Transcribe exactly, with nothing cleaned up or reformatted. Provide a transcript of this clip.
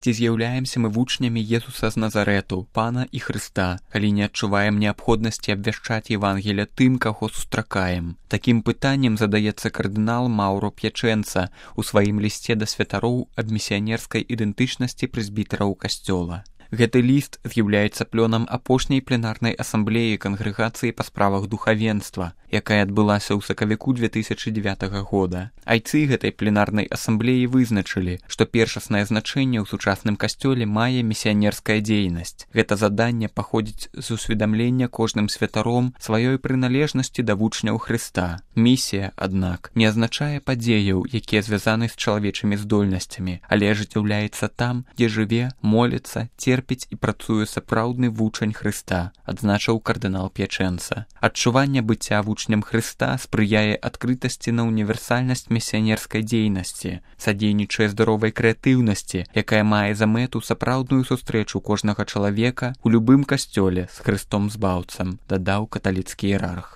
Ці з'яўляемся мы вучнямі Езуса з Назарэту, Пана і Хрыста, калі не адчуваем неабходнасці абвяшчаць Евангелія тым, каго сустракаем? Такім пытаннем задаецца кардынал Маўро П'ячэнца у сваім лісце да святароў аб місіянерскай ідэнтычнасці прэзбітараў касцёла. Гэты ліст з'яўляецца плёнам апошняй пленарнай асамблеі кангрэгацыі па справах духавенства, якая адбылася ў сакавіку две тысячы дзевятага года. Айцы гэтай пленарнай асамблеі вызначылі, што першаснае значэнне ў сучасным касцёле мае місіянерская дзейнасць. Гэта заданне паходзіць з усведамлення кожным святаром сваёй прыналежнасці да вучняў Хрыста. Місія, аднак, не азначае падзеяў, якія звязаны з чалавечымі здольнасцямі, але ажыццяўляецца там, дзе жыве, моліцца, терпіць і працуе сапраўдны вучань Хрыста, адзначыў кардынал П'ячэнца. Адчуванне быцця вучням Хрыста спрыяе адкрытасці на універсальнасць місіянерскай дзейнасці, садзейнічае здаровай крэатыўнасці, якая мае за мэту сапраўдную сустрэчу кожнага чалавека ў любым касцёле з Хрыстом збаўцам, дадаў каталіцкі іерарх.